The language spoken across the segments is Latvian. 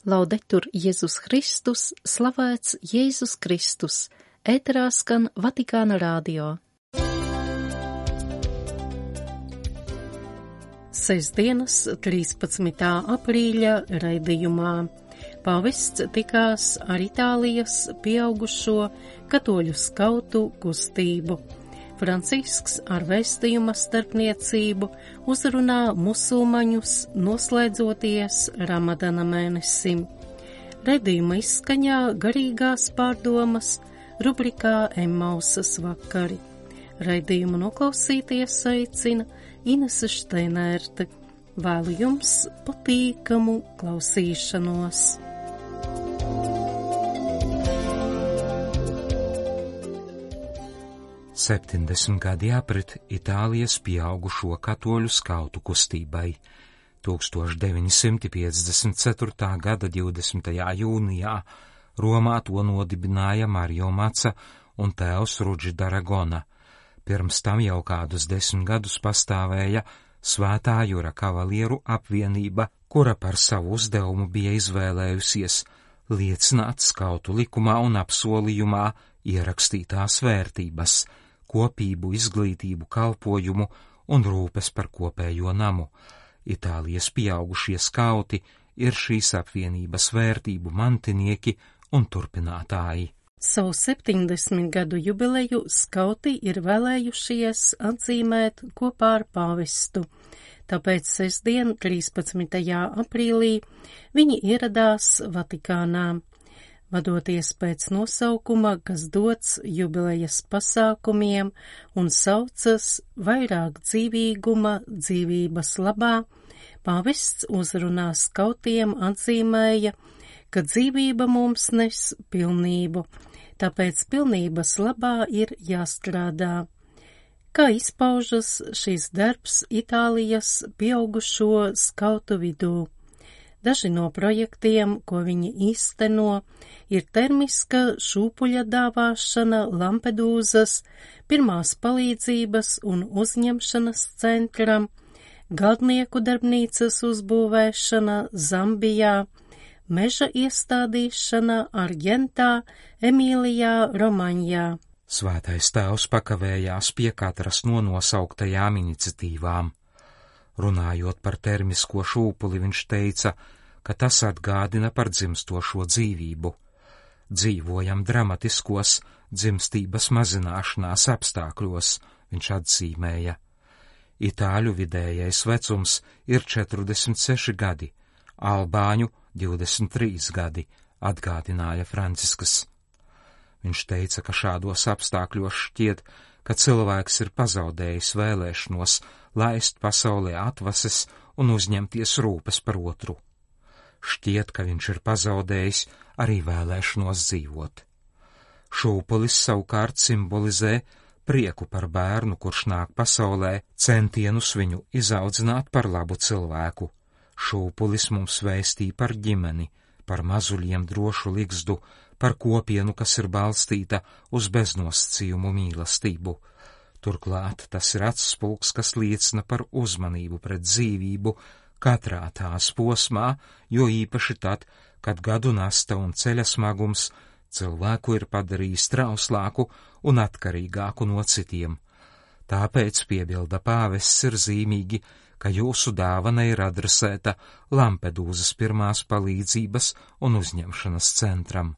Laudetur Jēzus Kristus, slavēts Jēzus Kristus, ēterā skan Vatikāna radio. Sestdienas 13. aprīļa raidījumā pāvests tikās ar Itālijas pieaugušo katoļu skautu kustību. Francisks ar vēstījuma starpniecību uzrunā musulmaņus noslēdzoties Ramadana mēnesim. Raidījuma izskaņā garīgās pārdomas rubrikā Emmausas vakari. Raidījumu noklausīties aicina Inese Šteinērte. Vēlu jums patīkamu klausīšanos. Septiņdesmit gadi jāpret Itālijas pieaugušo katoļu skautu kustībai. 1954. gada 20. jūnijā Romā to nodibināja Mario Maca un tēvs Rudži Daragona. Pirms tam jau kādus 10 gadus pastāvēja Svētā Jura kavalieru apvienība, kura par savu uzdevumu bija izvēlējusies liecināt skautu likumā un apsolījumā ierakstītās vērtības, kopību, izglītību, kalpojumu un rūpes par kopējo namu. Itālijas pieaugušie skauti ir šīs apvienības vērtību mantinieki un turpinātāji. Savu 70 gadu jubileju skauti ir vēlējušies atzīmēt kopā ar pāvestu. Tāpēc sestdien, 13. aprīlī, viņi ieradās Vatikānā. Vadoties pēc nosaukuma, kas dots jubilejas pasākumiem un saucas vairāk dzīvīguma dzīvības labā, pāvests uzrunā skautiem atzīmēja, ka dzīvība mums nes pilnību, tāpēc pilnības labā ir jāstrādā. Kā izpaužas šis darbs Itālijas pieaugušo skautu vidū? Daži no projektiem, ko viņi īsteno, ir termiska šūpuļa dāvāšana Lampedūzas, pirmās palīdzības un uzņemšanas centram, galdnieku darbnīcas uzbūvēšana Zambijā, meža iestādīšana Argentā, Emīlijā, Romaņā. Svētais tēvs pakavējās pie katras no nosauktajām iniciatīvām. Runājot par termisko šūpuli, viņš teica, ka tas atgādina par dzimstošo dzīvību. Dzīvojam dramatiskos dzimstības mazināšanās apstākļos, viņš atzīmēja. Itāļu vidējais vecums ir 46 gadi, albāņu 23 gadi, atgādināja Francisks. Viņš teica, ka šādos apstākļos šķiet, ka cilvēks ir pazaudējis vēlēšanos laist pasaulē atvases un uzņemties rūpes par otru. Šķiet, ka viņš ir pazaudējis arī vēlēšanos dzīvot. Šūpulis savukārt simbolizē prieku par bērnu, kurš nāk pasaulē, centienus viņu izaudzināt par labu cilvēku. Šūpulis mums vēstī par ģimeni, par mazuļiem drošu ligzdu, par kopienu, kas ir balstīta uz beznosacījumu mīlestību. Turklāt tas ir atspulks, kas liecina par uzmanību pret dzīvību katrā tās posmā, jo īpaši tad, kad gadu nasta un ceļa smagums cilvēku ir padarījis trauslāku un atkarīgāku no citiem. Tāpēc, piebilda pāvests, ir zīmīgi, ka jūsu dāvana ir adresēta Lampedūzas pirmās palīdzības un uzņemšanas centram.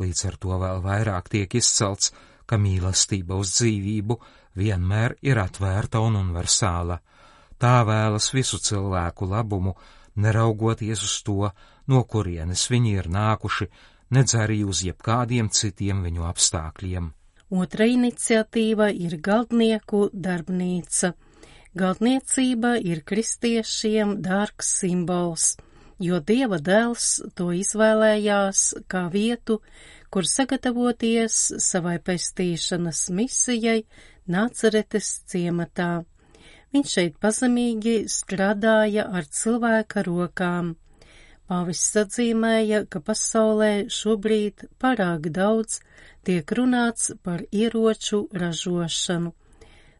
Līdz ar to vēl vairāk tiek izcelts, ka mīlestība uz dzīvību vienmēr ir atvērta un universāla. Tā vēlas visu cilvēku labumu, neraugoties uz to, no kurienes viņi ir nākuši, nedz arī uz jebkādiem citiem viņu apstākļiem. Otra iniciatīva ir galdnieku darbnīca. Galdniecība ir kristiešiem dārgs simbols, jo Dieva dēls to izvēlējās kā vietu, kur sagatavoties savai pestīšanas misijai Nacaretes ciematā. Viņš šeit pazemīgi strādāja ar cilvēka rokām. Pāvests atzīmēja, ka pasaulē šobrīd pārāk daudz tiek runāts par ieroču ražošanu.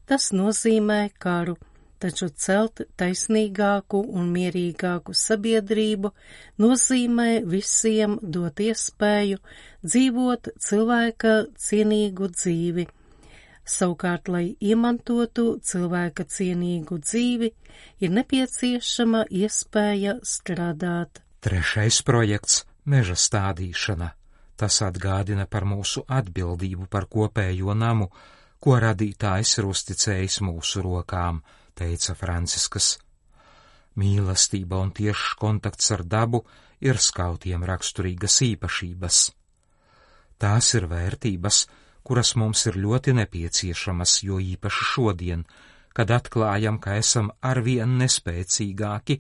Tas nozīmē karu, taču celt taisnīgāku un mierīgāku sabiedrību nozīmē visiem dot iespēju dzīvot cilvēka cienīgu dzīvi. Savukārt, lai iemantotu cilvēka cienīgu dzīvi, ir nepieciešama iespēja strādāt. Trešais projekts – meža stādīšana. Tas atgādina par mūsu atbildību par kopējo namu, ko radītājs ir uzticējis mūsu rokām, teica Franciskas. Mīlestība un tiešs kontakts ar dabu ir skautiem raksturīgas īpašības. Tās ir vērtības, kuras mums ir ļoti nepieciešamas, jo īpaši šodien, kad atklājam, ka esam arvien nespēcīgāki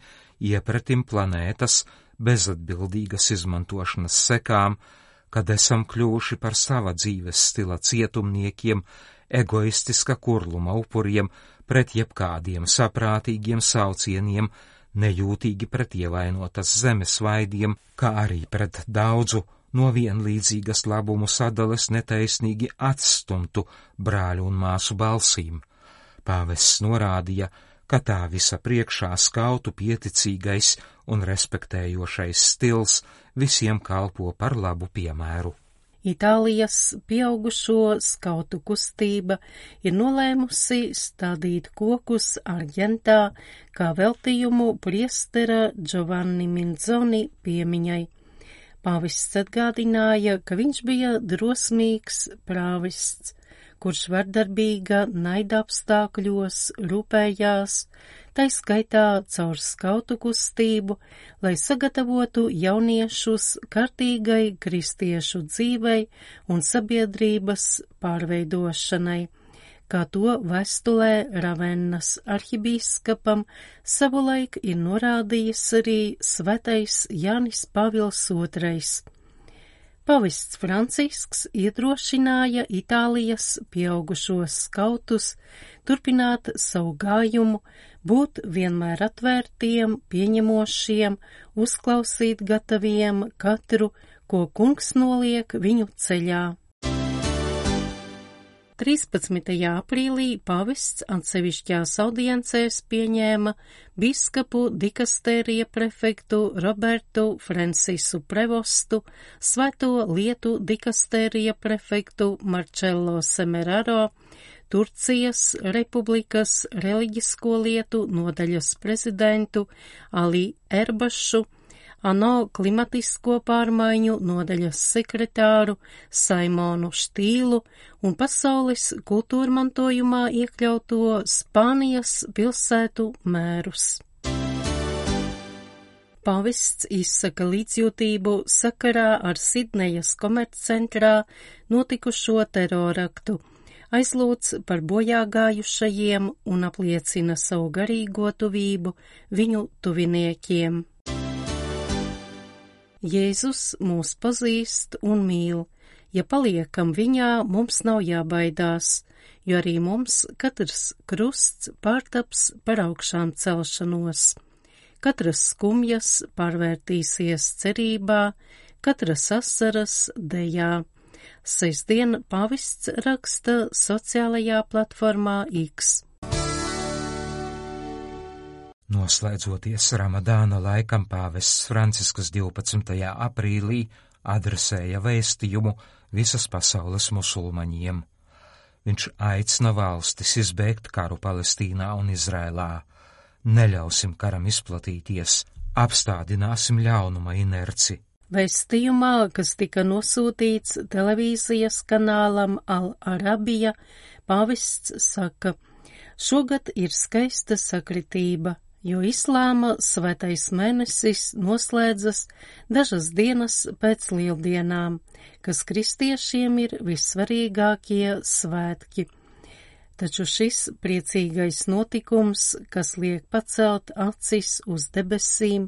iepratim planētas bezatbildīgas izmantošanas sekām, kad esam kļuvuši par sava dzīves stila cietumniekiem, egoistiska kurluma upuriem, pret jebkādiem saprātīgiem saucieniem, nejūtīgi pret ievainotas zemes vaidiem, kā arī pret daudzu no vienlīdzīgas labumu sadales netaisnīgi atstumtu brāļu un māsu balsīm. Pāvests norādīja, ka tā visa priekšā skautu pieticīgais un respektējošais stils visiem kalpo par labu piemēru. Itālijas pieaugušo skautu kustība ir nolēmusi stādīt kokus Argentā kā veltījumu priestera Giovanni Minzoni piemiņai. Pāvests atgādināja, ka viņš bija drosmīgs prāvests, kurš vardarbīga naida apstākļos rūpējās, tai skaitā caur skautu kustību, lai sagatavotu jauniešus kārtīgai kristiešu dzīvei un sabiedrības pārveidošanai, kā to vēstulē Ravennas arhibīskapam savulaik ir norādījis arī svētais Jānis Pāvils II. Pāvests Francisks iedrošināja Itālijas pieaugušos skautus turpināt savu gājumu, būt vienmēr atvērtiem, pieņemošiem, uzklausīt gataviem katru, ko kungs noliek viņu ceļā. 13. aprīlī pāvests atsevišķās audiencēs pieņēma biskupu dikastērija prefektu Robertu Francisu Prevostu, svēto lietu dikastērija prefektu Marcello Semeraro, Turcijas Republikas reliģisko lietu nodaļas prezidentu Ali Erbašu, ANO klimatisko pārmaiņu nodaļas sekretāru Saimonu Štīlu un pasaules kultūrmantojumā iekļauto Spānijas pilsētu mērus. Pāvests izsaka līdzjūtību sakarā ar Sidnejas komerccentrā notikušo teroraktu, aizlūdz par bojāgājušajiem un apliecina savu garīgo tuvību viņu tuviniekiem. Jēzus mūs pazīst un mīl. Ja paliekam viņā, mums nav jābaidās, jo arī mums katrs krusts pārtaps par augšām celšanos. Katras skumjas pārvērtīsies cerībā, katras asaras dejā. Sestdien pāvests raksta sociālajā platformā X. Noslēdzoties Ramadāna laikam, pāvests Francisks 12. aprīlī adresēja vēstījumu visas pasaules musulmaņiem. Viņš aicina valstis izbēgt karu Palestīnā un Izrēlā. Neļausim karam izplatīties, apstādināsim ļaunuma inerci. Vēstījumā, kas tika nosūtīts televīzijas kanālam Al-Arabija, pāvests saka, šogad ir skaista sakritība, jo islāma svētais mēnesis noslēdzas dažas dienas pēc lieldienām, kas kristiešiem ir vissvarīgākie svētki. Taču šis priecīgais notikums, kas liek pacelt acis uz debesīm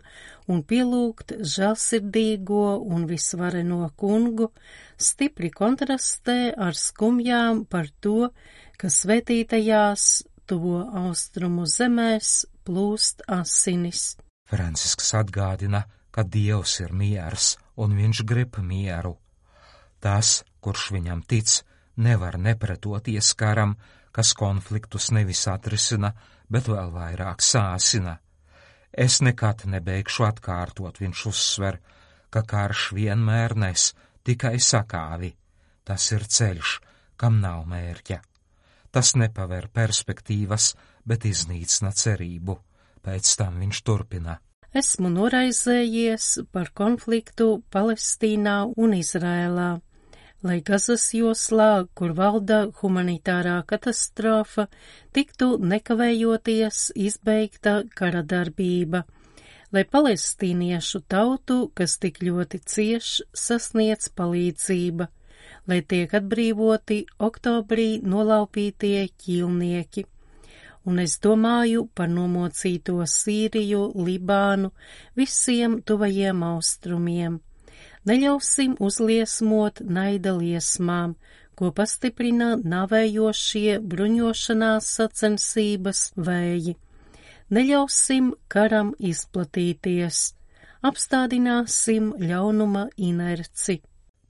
un pielūgt žēlsirdīgo un visvareno kungu, stipri kontrastē ar skumjām par to, ka svētītajās tuvo austrumu zemēs plūst asinis. Francisks atgādina, ka Dievs ir miers un viņš grib mieru. Tas, kurš viņam tic, nevar nepretoties karam, kas konfliktus nevis atrisina, bet vēl vairāk sāsina. Es nekad nebeigšu atkārtot, viņš uzsver, ka karš vienmēr nes tikai sakāvi. Tas ir ceļš, kam nav mērķa. Tas nepaver perspektīvas, bet iznīcina cerību. Pēc tam viņš turpina. Esmu noraizējies par konfliktu Palestīnā un Izrēlā, lai Gazas joslā, kur valda humanitārā katastrofa, tiktu nekavējoties izbeigta kara darbība, lai palestīniešu tautu, kas tik ļoti cieš, sasniedz palīdzība, lai tiek atbrīvoti oktobrī nolaupītie ķīlnieki. Un es domāju par nomocīto Sīriju, Libānu, visiem tuvajiem austrumiem. Neļausim uzliesmot naida liesmām, ko pastiprina navējošie bruņošanās sacensības vēji. Neļausim karam izplatīties, apstādināsim ļaunuma inerci.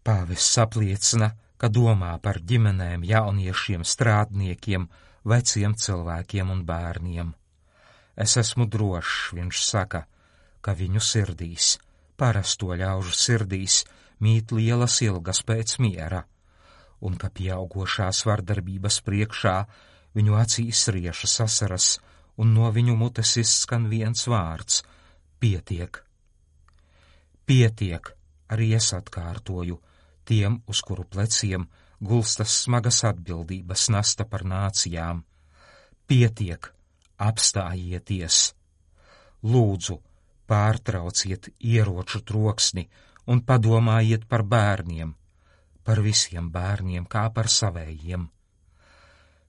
Pāvests apliecina, ka domā par ģimenēm, jauniešiem, strādniekiem, veciem cilvēkiem un bērniem. Es esmu drošs, viņš saka, ka viņu sirdīs, parasto ļaužu sirdīs, mīt lielas ilgas pēc miera, un ka pieaugošās vardarbības priekšā viņu acīs riešas asaras, un no viņu mutes izskan viens vārds – pietiek. Pietiek, arī es atkārtoju, tiem, uz kuru pleciem gulstas smagas atbildības nasta par nācijām. Pietiek, apstājieties! Lūdzu, pārtrauciet ieroču troksni un padomājiet par bērniem, par visiem bērniem kā par savējiem.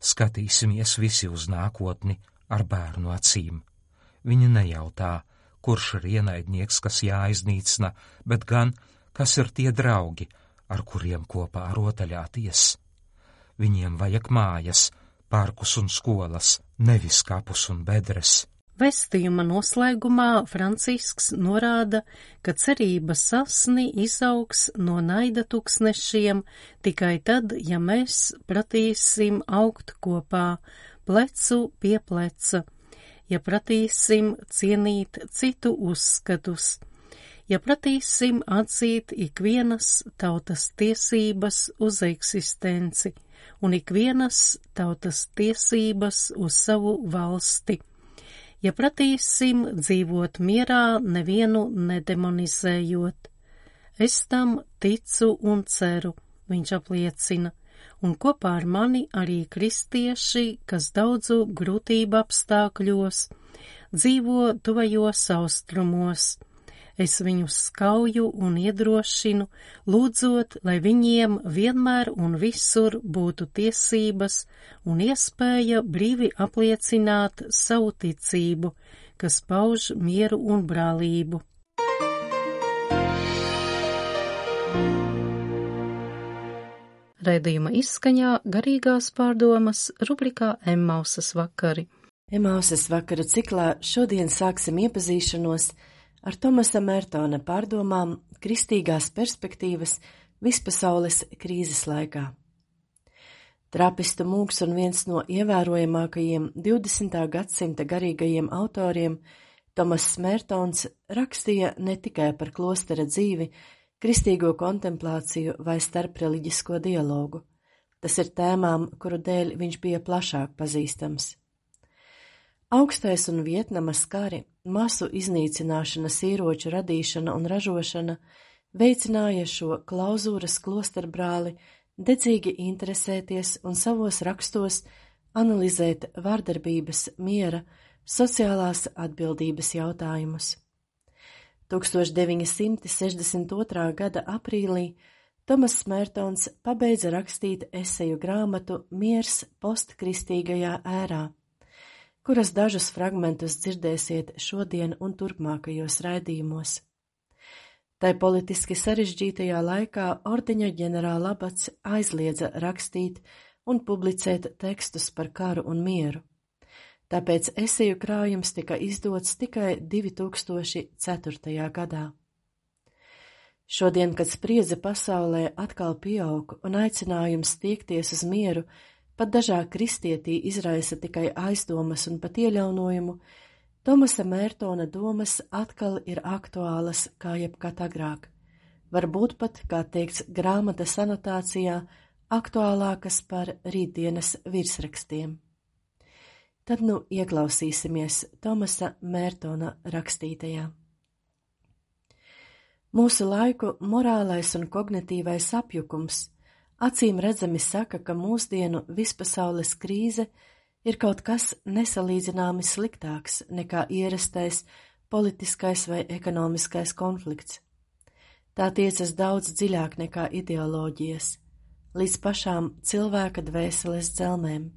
Skatīsimies visi uz nākotni ar bērnu acīm. Viņi nejautā, kurš ir ienaidnieks, kas jāiznīcina, bet gan, kas ir tie draugi, ar kuriem kopā rotaļāties. Viņiem vajag mājas, parkus un skolas, nevis kapus un bedres. Vēstījuma noslēgumā Francisks norāda, ka cerības sasni izaugs no naida tuksnešiem tikai tad, ja mēs pratīsim augt kopā, plecu pie pleca, ja pratīsim cienīt citu uzskatus, ja pratīsim atzīt ikvienas tautas tiesības uz eksistenci un ikvienas tautas tiesības uz savu valsti, ja pratīsim dzīvot mierā, nevienu nedemonizējot. Es tam ticu un ceru, viņš apliecina, un kopā ar mani arī kristieši, kas daudzu grūtību apstākļos, dzīvo tuvajos austrumos. Es viņus skauju un iedrošinu, lūdzot, lai viņiem vienmēr un visur būtu tiesības un iespēja brīvi apliecināt savu ticību, kas pauž mieru un brālību. Raidījuma izskaņā garīgās pārdomas rubrikā Emmausas vakari. Emmausas vakaru ciklā šodien sāksim iepazīšanos ar Tomasa Mertona pārdomām kristīgās perspektīvas vispasaules krīzes laikā. Trapistu mūks un viens no ievērojamākajiem 20. gadsimta garīgajiem autoriem, Tomass Mertons rakstīja ne tikai par klostera dzīvi, kristīgo kontemplāciju vai starpreliģisko dialogu. Tas ir tēmām, kuru dēļ viņš bija plašāk pazīstams. Augstais un Vietnamas kari, masu iznīcināšanas ieroču radīšana un ražošana veicināja šo klauzūras klosterbrāli dedzīgi interesēties un savos rakstos analizēt vardarbības, miera, sociālās atbildības jautājumus. 1962. gada aprīlī Tomass Mertons pabeidza rakstīt eseju grāmatu Miers postkristīgajā ērā, kuras dažus fragmentus dzirdēsiet šodien un turpmākajos raidījumos. Tai politiski sarežģītajā laikā ordeņa ģenerālabats aizliedza rakstīt un publicēt tekstus par karu un mieru. Tāpēc eseju krājums tika izdots tikai 2004. gadā. Šodien, kad spriedze pasaulē atkal pieaug un aicinājums tiekties uz mieru pat dažā kristietī izraisa tikai aizdomas un pat ieļaunojumu, Tomasa Mērtona domas atkal ir aktuālas kā jebkad agrāk, varbūt pat, kā teikts grāmatas anotācijā, aktuālākas par rītdienas virsrakstiem. Tad nu ieklausīsimies Tomasa Mērtona rakstītajā. Mūsu laiku morālais un kognitīvais apjukums acīm redzami saka, ka mūsdienu vispasaules krīze ir kaut kas nesalīdzināmi sliktāks nekā ierastais politiskais vai ekonomiskais konflikts. Tā tiecas daudz dziļāk nekā ideoloģijas, līdz pašām cilvēka dvēseles dzelmēm.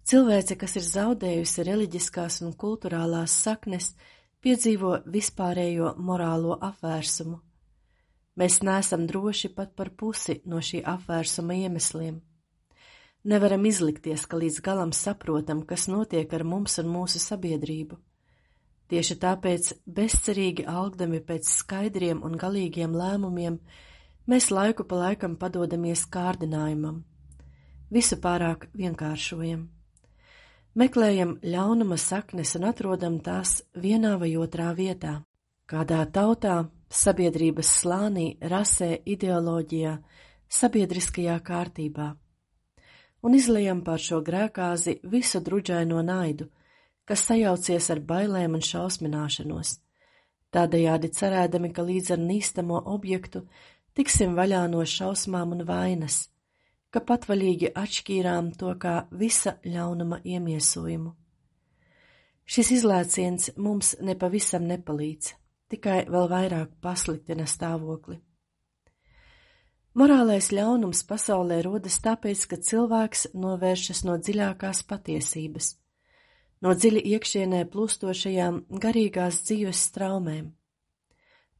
Cilvēce, kas ir zaudējusi reliģiskās un kulturālās saknes, piedzīvo vispārējo morālo apvērsumu. Mēs neesam droši pat par pusi no šī apvērsuma iemesliem. Nevaram izlikties, ka līdz galam saprotam, kas notiek ar mums un mūsu sabiedrību. Tieši tāpēc, bezcerīgi algdami pēc skaidriem un galīgiem lēmumiem, mēs laiku pa laikam padodamies kārdinājumam. Visu pārāk vienkāršojam. Meklējam ļaunuma saknes un atrodam tās vienā vai otrā vietā. Kādā tautā, sabiedrības slānī, rasē, ideoloģijā, sabiedriskajā kārtībā. Un izlejam pār šo grēkāzi visu druģaino naidu, kas sajaucies ar bailēm un šausmināšanos, tādējādi cerēdami, ka līdz ar nīstamo objektu tiksim vaļā no šausmām un vainas, ka patvaļīgi atšķīrām to kā visa ļaunuma iemiesojumu. Šis izlēciens mums nepavisam nepalīdz, tikai vēl vairāk pasliktina stāvokli. Morālais ļaunums pasaulē rodas tāpēc, ka cilvēks novēršas no dziļākās patiesības, no dziļi iekšienē plūstošajām garīgās dzīves straumēm.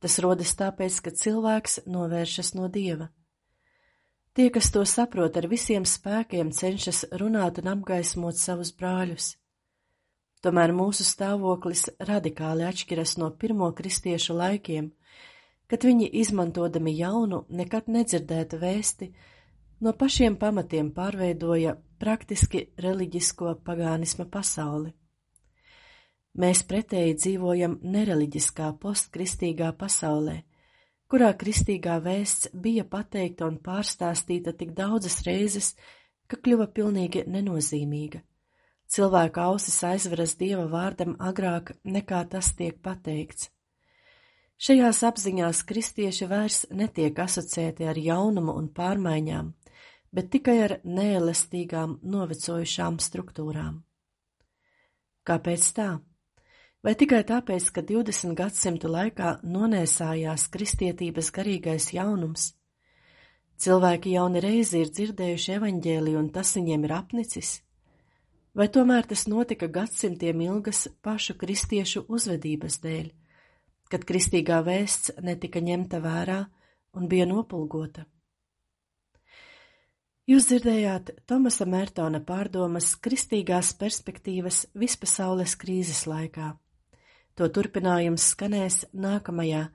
Tas rodas tāpēc, ka cilvēks novēršas no Dieva. Tie, kas to saprot, ar visiem spēkiem cenšas runāt un apgaismot savus brāļus. Tomēr mūsu stāvoklis radikāli atšķiras no pirmo kristiešu laikiem, kad viņi, izmantodami jaunu, nekad nedzirdētu vēsti, no pašiem pamatiem pārveidoja praktiski reliģisko pagānisma pasauli. Mēs pretēji dzīvojam nereliģiskā postkristīgā pasaulē, kurā kristīgā vēsts bija pateikta un pārstāstīta tik daudzas reizes, ka kļuva pilnīgi nenozīmīga. Cilvēka ausis aizveras Dieva vārdam agrāk nekā tas tiek pateikts. Šajās apziņās kristieši vairs netiek asociēti ar jaunumu un pārmaiņām, bet tikai ar neelastīgām, novecojušām struktūrām. Kāpēc tā? Vai tikai tāpēc, ka 20 gadsimtu laikā nonēsājās kristietības garīgais jaunums? Cilvēki jauni reizi ir dzirdējuši evaņģēliju un tas viņiem ir apnicis? Vai tomēr tas notika gadsimtiem ilgas pašu kristiešu uzvedības dēļ, kad kristīgā vēsts netika ņemta vērā un bija nopulgota? Jūs dzirdējāt Tomasa Mērtona pārdomas kristīgās perspektīvas vispasaules krīzes laikā. To turpinājums skanēs nākamajā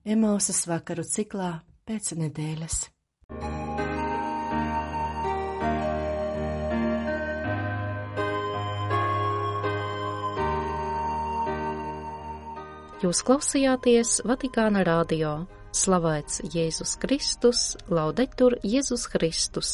Emausas vakaru ciklā pēc nedēļas. Jūs klausījāties Vatikāna radio. Slavēts Jēzus Kristus, Laudetur Jēzus Kristus.